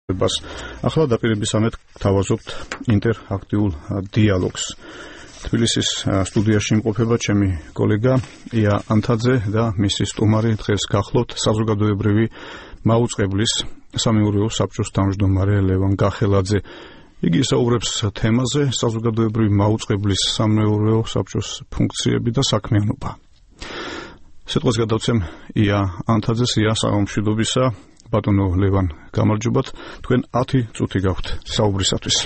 ახლა დაპირებისამეთ თავაზობთ ინტერაქტიულ დიალოგს. თბილისის სტუდიაში იმყოფება ჩემი კოლეგა ია ანთაძე და მისი სტუმარი დღეს გახლავთ საზოგადოებრივი მაუწყებლის სამეურვეო საბჭოს თავმჯდომარე ლევან გახელაძე. იგი საუბრებს თემაზე საზოგადოებრივი მაუწყებლის სამეურვეო საბჭოს ფუნქციები და საქმიანობა. სიტყვას გადავცემ ია ანთაძეს. ია, სამშვიდობისა. ბატონო ლევან, გამარჯობათ. თქვენ 10 წუთი გაქვთ საუბრისათვის.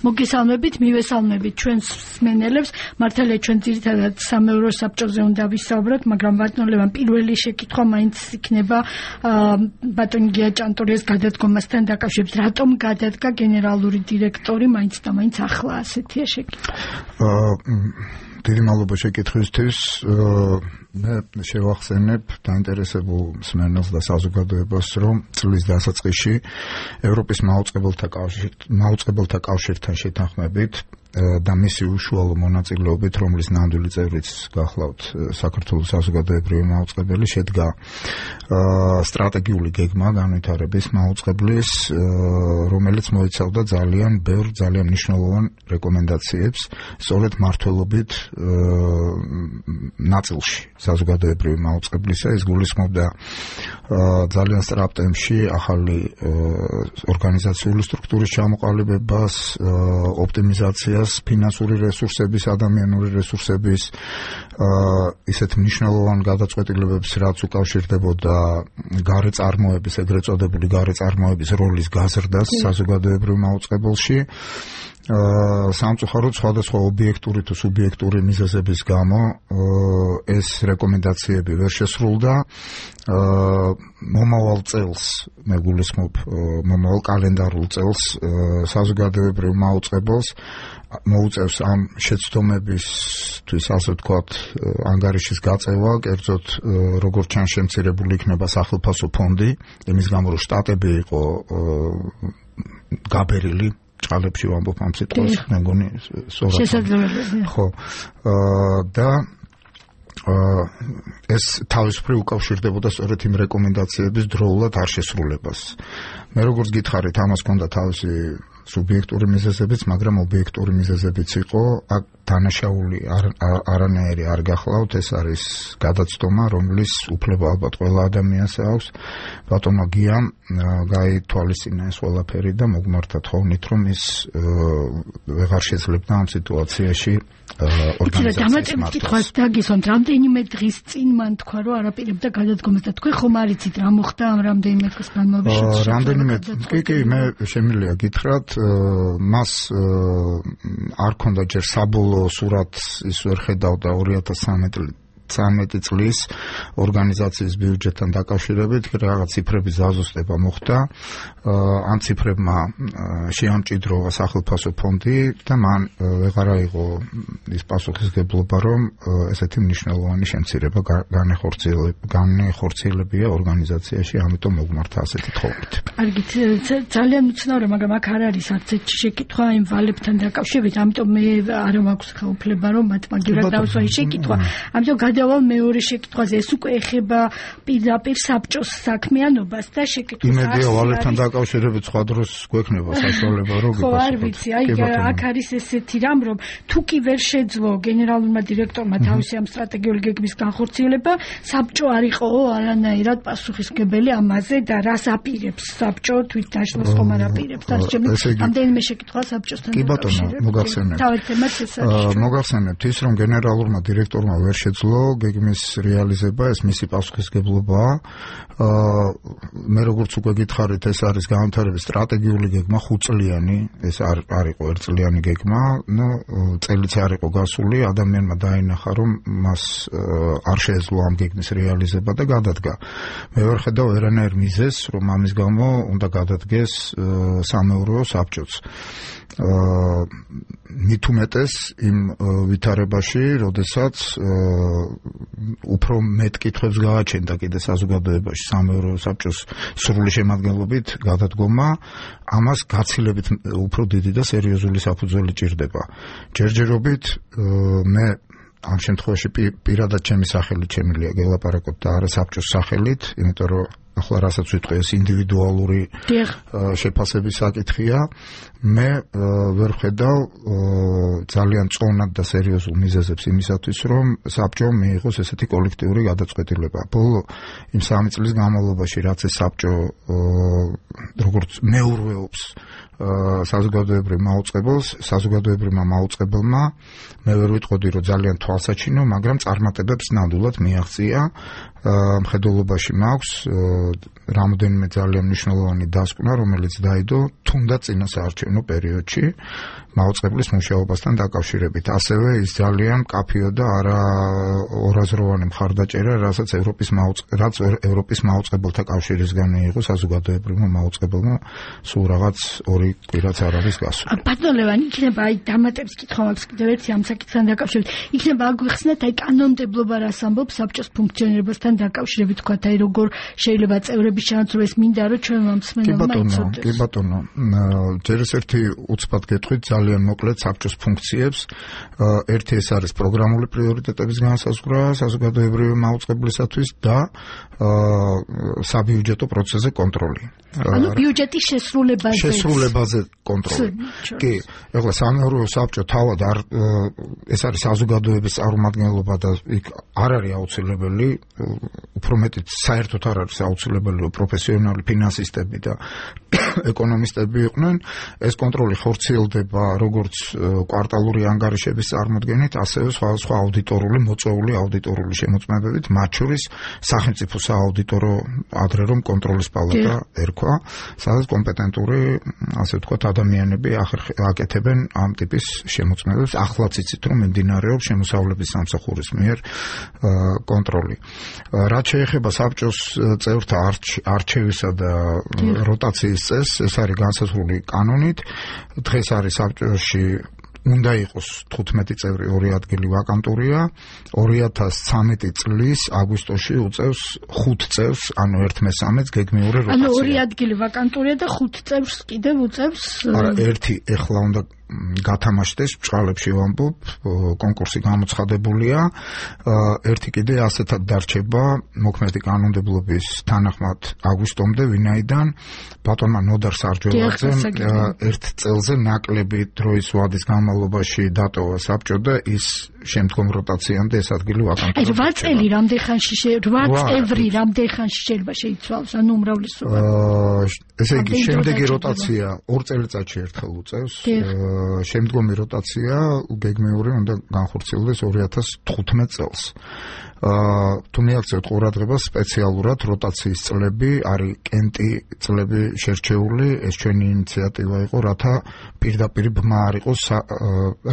მოგესალმებით, მივესალმებით ჩვენს მსმენელებს. მართალია ჩვენ ძირითადად სამეურვეო საბჭოზე უნდა ვისაუბროთ, მაგრამ ბატონო ლევან, პირველი შეკითხვა მაინც იქნება ბატონ გია ჭანტურიას გადადგომასთან დაკავშირებით. რატომ გადადგა გენერალური დირექტორი მაინც და მაინც ახლა ასეთია შეკითხვა? დიდი მადლობა შეკითხვისთვის. მე შევახსენებ დაინტერესებულ მსმენელს და საზოგადოებას, რომ წლის დასაწყისში ევროპის მაუწყებელთა კავშირთან შეთანხმებით და მისი უშუალო მონაწილეობით, რომლის ნამდვილი წევრიც გახლავთ საქართველოს საზოგადოებრივი მაუწყებელი, შედგა სტრატეგიული გეგმა განვითარების მაუწყებლის, რომელიც მოიცავდა ძალიან ბევრ, ძალიან მნიშვნელოვან რეკომენდაციებს, სწორედ მმართველობით ნაწილში საზოგადოებრივი მაუწყებლისა. ეს გულისხმობდა ძალიან სწრაფ ტემპში ახალი ორგანიზაციული სტრუქტურის ჩამოყალიბებას, ოპტიმიზაციას, ფინანსური რესურსების, ადამიანური რესურსების, ისეთ მნიშვნელოვან გადაწყვეტილებებს, რაც უკავშირდებოდა გარე წარმოების, ეგრეთ წოდებული გარე წარმოების როლის გაზრდას საზოგადოებრივ მაუწყებელში. სამწუხაროდ სხვადასხვა ობიექტური თუ სუბიექტური მიზეზების გამო ეს რეკომენდაციები ვერ შესრულდა. მომავალ წელს, მე გულისხმობ მომავალ კალენდარულ წელს საზოგადოებრივ მაუწყებელს მოუწევს ამ შეცდომებისთვის, ასე ვთქვათ, ანგარიშის გაწევა, კერძოდ როგორც ჩანს შემცირებული იქნება სახელმწიფო ფონდი, იმის გამო რომ შტატები იყო გაბერილი ჭალებში ვამბობ ამ სიტყვას, მე მგონი შესაძლებელია. ხო. და ეს თავისუფლად უკავშირდებოდა სწორედ იმ რეკომენდაციების დროულად არ შესრულებას. მე როგორც გითხარით, ამას ჰქონდა თავისი სუბიექტური მიზეზებიც, მაგრამ ობიექტური მიზეზებიც იყო. აქ დანაშაული არანაირი არ გახლავთ, ეს არის გადაცდომა, რომლის უფლება ალბათ ყველა ადამიანს აქვს. ბატონმა გიამ გაითვალისწინა ეს ყველაფერი და მოგმართა თხოვნით, რომ ის ვეღარ შეძლებდა ამ სიტუაციაში ორგანიზაციის მართვას. დაგისვამთ, რამდენიმე დღის წინ მან თქვა, რომ არაპირებდა გადადგომას და თქვენ ხომ არ იცით რა მოხდა ამ რამდენიმე დღის განმავლობაში? რამდენიმე კი, მე შემიძლია გითხრათ, მას არ ქონდა ჯერ საბოლოო სურათს ის ვერ ხედავდა 2013 წლის ორგანიზაციის ბიუჯეტთან დაკავშირებით, რაღაც ციფრების ზაზუსტება მოხდა. ამ ციფრებმა შეამჭიდროვა სახელმწიფო ფონდი და მან ვეღარ აიღო ის პასუხისგებლობა, რომ ესეთი მნიშვნელოვანი შემცირება განეხორციელებია ორგანიზაციაში, ამიტომ მოგმართა ასეთი თხოვნით. კარგით, ძალიან მიცნავია, მაგრამ აქ არ არის არც ერთი შეკითხვა იმ ვალებთან დაკავშირებით, ამიტომ მე არ მაქვს უფლება, რომ მათ მაგივრად დავსვა ის შეკითხვა. ამიტომ გადავალ მეორე შეკითხვაზე. ეს უკვე ეხება პირდაპირ საბჭოს საქმიანობას და შეკითხვა. იმედია ვალებთან დაკავშირებით სხვა დროს გვექნება საშუალება, რომ ხო, არ ვიცი, აი აქ არის ესეთი რამ, რომ თუ კი ვერ შეძლო გენერალურმა დირექტორმა თავისი ამ სტრატეგიული გეგმის განხორციელება, საბჭო არ იყო არანაირად პასუხისმგებელი ამაზე და რას აპირებს საბჭო თვითდაშლოს ხომ არ აპირებს. რამდენიმე შეკითხვა საბჭოსთან. კი ბატონო, მოგახსენებთ ის, რომ გენერალურმა დირექტორმა ვერ შეძლო გეგმის რეალიზება, ეს მისი პასუხისმგებლობაა. მე როგორც უკვე გითხარით, ეს არის განვითარების სტრატეგიული გეგმა 5 წლიანი, ეს არ იყო 1 წლიანი გეგმა, წელიც არ იყო გასული, ადამიანმა დაინახა, რომ მას არ შეეძლო ამ გეგმის რეალიზება და გადადგა. მე ვერ ხედავ ვერანაირ მიზეზს, რომ ამის გამო უნდა გადადგეს სამეურვეო საბჭოც. მით უმეტეს იმ ვითარებაში, როდესაც უფრო მეტ კითხვებს გააჩენდა კიდე საზოგადოებაში სამეურვეო საბჭოს სრული შემადგენლობით გადადგომა, ამას გაცილებით უფრო დიდი და სერიოზული საფუძველი ჭირდება. ჯერჯერობით მე ამ შემთხვევაში პირადად ჩემი სახელით შემიძლია გელაპარაკოთ და არა საბჭოს სახელით, იმიტომ რომ ახლა რასაც ვიტყვი ეს ინდივიდუალური შეფასების საკითხია მე ვერ ხედავ ძალიან წონად და სერიოზულ მიზეზებს იმისათვის რომ საბჭომ მიიღოს ესეთი კოლექტიური გადაწყვეტილება ბოლო იმ 3 წლის განმავლობაში რაც ეს საბჭო როგორც მეურვეობს საზოგადოებრივ საზოგადოებრივმა მაუწყებელმა მე ვერ ვიტყოდი რომ ძალიან თვალსაჩინო მაგრამ წარმატებებს ნამდვილად მიაღწია მხედველობაში მაქვს რამოდენიმე ძალიან მნიშვნელოვანი დასკვნა რომელიც დაიდო თუნდაც წინასაარჩევნო პერიოდში მაუწყებლის მუშაობასთან დაკავშირებით ასევე ის ძალიან კაფეო და არა ორაზროვანი მხარდაჭერა რასაც ევროპის მაუწყებელთა კავშირისგან მიიღო საზოგადოებრივმა მაუწყებელმა სულ რაღაც 2 კვირაც არ არის გასული. ბატონო ლევან, იქნება აი დამატების კითხვა მაქვს კიდევ ერთი ამ საკითხთან დაკავშირებით. იქნება აგვიხსნათ აი კანონმდებლობა რას ამბობს საბჭოს ფუნქციონირებასთან დაკავშირებით თქვა აი როგორ შეიძლება წევრების ჩანაცვლა ეს მინდა რომ ჩვენმა მსმენელმა იცოდეს. კი ბატონო, ჯერ ერთი უცბად გეტყვით ძალიან მოკლედ საბჭოს ფუნქციებს. ერთი ეს არის პროგრამული პრიორიტეტების განსაზღვრა საზოგადოებრივი მაუწყებლისათვის და საბიუჯეტო პროცესზე კონტროლი. ანუ ბიუჯეტის შესრულებაზე კონტროლი. კი, ეხლა სამეურვეო საბჭო თავად ეს არის საზოგადოების წარმომადგენლობა და იქ არ არის აუცილებელი, უფრო მეტიც საერთოდ არ არის აუცილებელი რომ პროფესიონალი ფინანსისტები და ეკონომისტები იყვნენ. ეს კონტროლი ხორციელდება როგორც კვარტალური ანგარიშების წარმოდგენით, ასევე სხვა აუდიტორული მოწვეული აუდიტორული შემოწმებებით, მათ შორის სახელმწიფო სააუდიტორო ადრე რომ კონტროლის პალატა ერქვა, სადაც კომპეტენტური ასე ვთქვათ ადამიანები აკეთებენ ამ ტიპის შემოწმებებს. ახლაც იცით რომ მიმდინარეობს შემოსავლების სამსახურის მიერ კონტროლი. რაც შეეხება საბჭოს წევრთა არჩევისა და როტაციის წესს, ეს არის განსაზღვრული კანონით. დღეს არის საბჭოში უნდა იყოს 15 წევრი 2 ადგილი ვაკანტურია 2013 წლის აგვისტოში უწევს 5 წევრს ანუ 1/3-ს გეგმიური როტაცია. ანუ 2 ადგილი ვაკანტურია და 5 წევრს კიდევ უწევს. არა, ერთი ეხლა უნდა გათამაშდეს ბჭყალებში ვამბობ, კონკურსი გამოცხადებულია. ერთი კიდე ასეთად დარჩება მოქმედი კანონმდებლობის თანახმად აგვისტომდე, ვინაიდან ბატონმა ნოდარ სარჯოლაძემ 1 წელზე ნაკლები დროის ვადის განმავლობაში დატოვა საბჭო და ის შემდგომ როტაციამდე ეს ადგილი ვაკანტურია. აი 8 წელი რამდენ ხანში 8 წევრი რამდენ ხანში შეიძლება შეიცვალოს, ანუ უმრავლესობა. ესე იგი შემდეგი როტაცია 2 წელიწადში ერთხელ უწევს. შემდგომი როტაცია გეგმიური უნდა განხორციელდეს 2015 წელს. თუ მიაქცევთ ყურადღებას სპეციალურად როტაციის წლები არის კენტი წლები შერჩეული, ეს ჩვენი ინიციატივა იყო, რათა პირდაპირ ბმა არ იყოს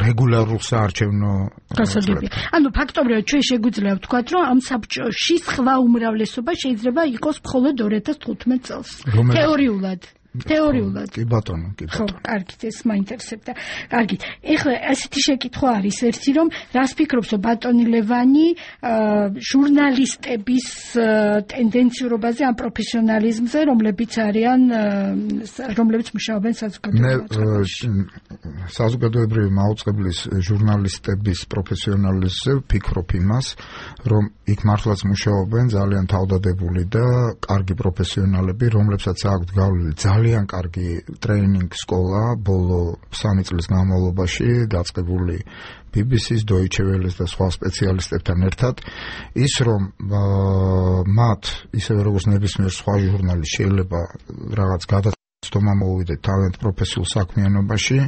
რეგულარულ საარჩევნო გასაგები. ანუ ფაქტობრივად ჩვენ შეგვიძლია ვთქვათ, რომ ამ საბჭოში სხვა უმრავლესობა შეიძლება იყოს მხოლოდ 2015 წელს. თეორიულად. კი ბატონო, კი ბატონო. ხო, კარგით, ეს მაინტერესებდა. კარგით. ეხლა ასეთი შეკითხვა არის ერთი, რომ რას ფიქრობს ბატონი ლევანი ჟურნალისტების ტენდენციურობაზე, ამ პროფესიონალიზმზე, რომლებიც მუშაობენ საზოგადოებრივ საზოგადოებრივი მაუწყებლის ჟურნალისტების პროფესიონალიზმზე ვფიქრობ იმას, რომ იქ მართლაც მუშაობენ ძალიან თავდადებული და კარგი პროფესიონალები, რომლებსაც აქვთ გავლილი ძალიან კარგი ტრეინინგ სკოლა ბოლო 3 წლის განმავლობაში დაწყებული BBC-ს, Deutsche Welle-ს და სხვა სპეციალისტებთან ერთად ის რომ მათ ისევე როგორც ნებისმიერ სხვა ჟურნალისტს შეიძლება რაღაც გადაცდომა მოუვიდეთ თავიანთ პროფესიულ საქმიანობაში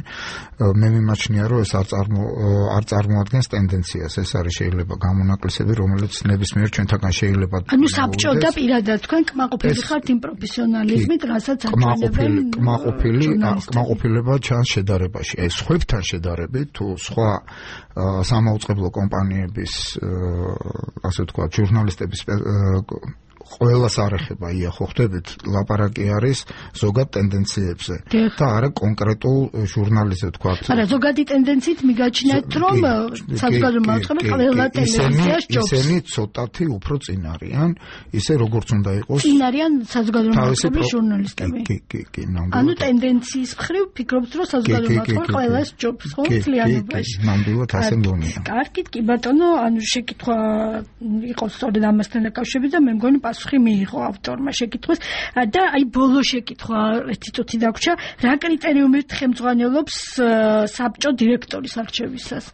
მე მიმაჩნია რომ ეს არ წარმოადგენს ტენდენციას ეს არის შეიძლება გამონაკლისები რომელიც ნებისმიერ ჩვენთაგან შეიძლება ანუ საბჭო და პირადად თქვენ კმაყოფილი ხართ იმ პროფესიონალიზმით რასაც აჩვენებენ კმაყოფილება ჩანს შედარებაში ეს სხვებთან შედარებით თუ სხვა სამაუწყებლო კომპანიების ასე ვთქვათ ჟურნალისტების ყველას არ ეხება ია ხო ხდებით ლაპარაკი არის ზოგად ტენდენციებზე და არა კონკრეტულ ჟურნალისტზე ვთქვათ არა ზოგადი ტენდენციით მიგაჩნიათ რომ საზოგადოებრივ მაუწყებლობებში ყველა ტელევიზიაში ჯობს ისინი ცოტათი უფრო წინ არიან ისე როგორც უნდა იყოს წინ არიან საზოგადოებრივ მაუწყებლობის ჟურნალისტები კი ანუ ტენდენციის მხრივ ფიქრობთ რომ საზოგადოებრივ მაუწყებლობებში ყველას ჯობს ხო მთლიანობაში ნამდვილად ასე მგონია კარგით კი ბატონო ანუ შეკითხვა იყო სწორედ ამასთან დაკავშირებით და მე მგონი პასუხი მიიღო ავტორმა შეკითხვას და აი ბოლო შეკითხვა ერთი წუთი დაგვრჩა რა კრიტერიუმით ხელმძღვანელობს საბჭო დირექტორის არჩევისას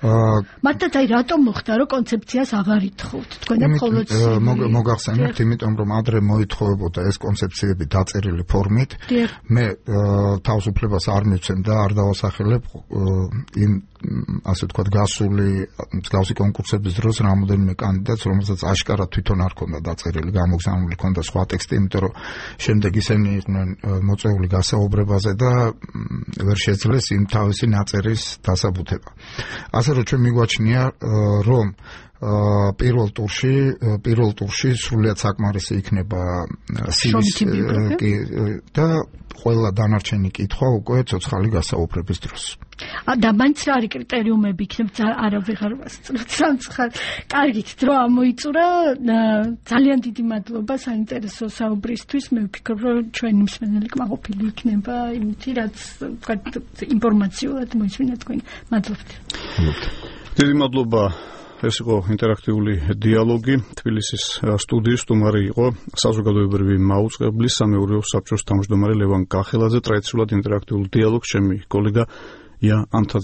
მართლაც აი რატომ მოხდა რომ კონცეფციას აღარ ითხოვთ თქვენ და მხოლოდ მოგახსენებთ იმიტომ რომ ადრე მოითხოვებოდა ეს კონცეფციები დაწერილი ფორმით მე თავისუფლებას არ მივცემ და არ დავასახელებ იმ ასე ვთქვათ გასული მსგავსი კონკურსების დროს რამოდენიმე კანდიდატს რომელსაც აშკარად თვითონ არ ქონდა დაწერილი გამოგზავნილი ქონდა სხვა ტექსტი იმიტომ რომ შემდეგ ისინი იყვნენ მოწვეული გასაუბრებაზე და ვერ შეძლეს იმ თავისი ნაწერის დასაბუთება ასე რომ ჩვენ მიგვაჩნია რომ პირველ ტურში სრულიად საკმარისი იქნება CV-ს და ყველა დანარჩენი კითხვა უკვე ცოცხალი გასაუბრების დროს. და მაინც რა არის კრიტერიუმები იქნება არავეღარ ვასწროთ სამცხარ. კარგით, დრო ამოიწურა. ძალიან დიდი მადლობა საინტერესო საუბრისთვის. მე ვფიქრობ, რომ ჩვენი მსმენელი კმაყოფილი იქნება იმით, რაც ინფორმაციულად მოისმინა თქვენ. მადლობთ. დიდი მადლობა. ეს იყო ინტერაქტიული დიალოგი თბილისის სტუდიის სტუმარი იყო საზოგადოებრივი მაუწყებლის სამეურვეო საბჭოს თავმჯდომარე ლევან კახელაძე ტრადიციულად ინტერაქტიულ დიალოგს ჩემი კოლეგა ია ანთაძე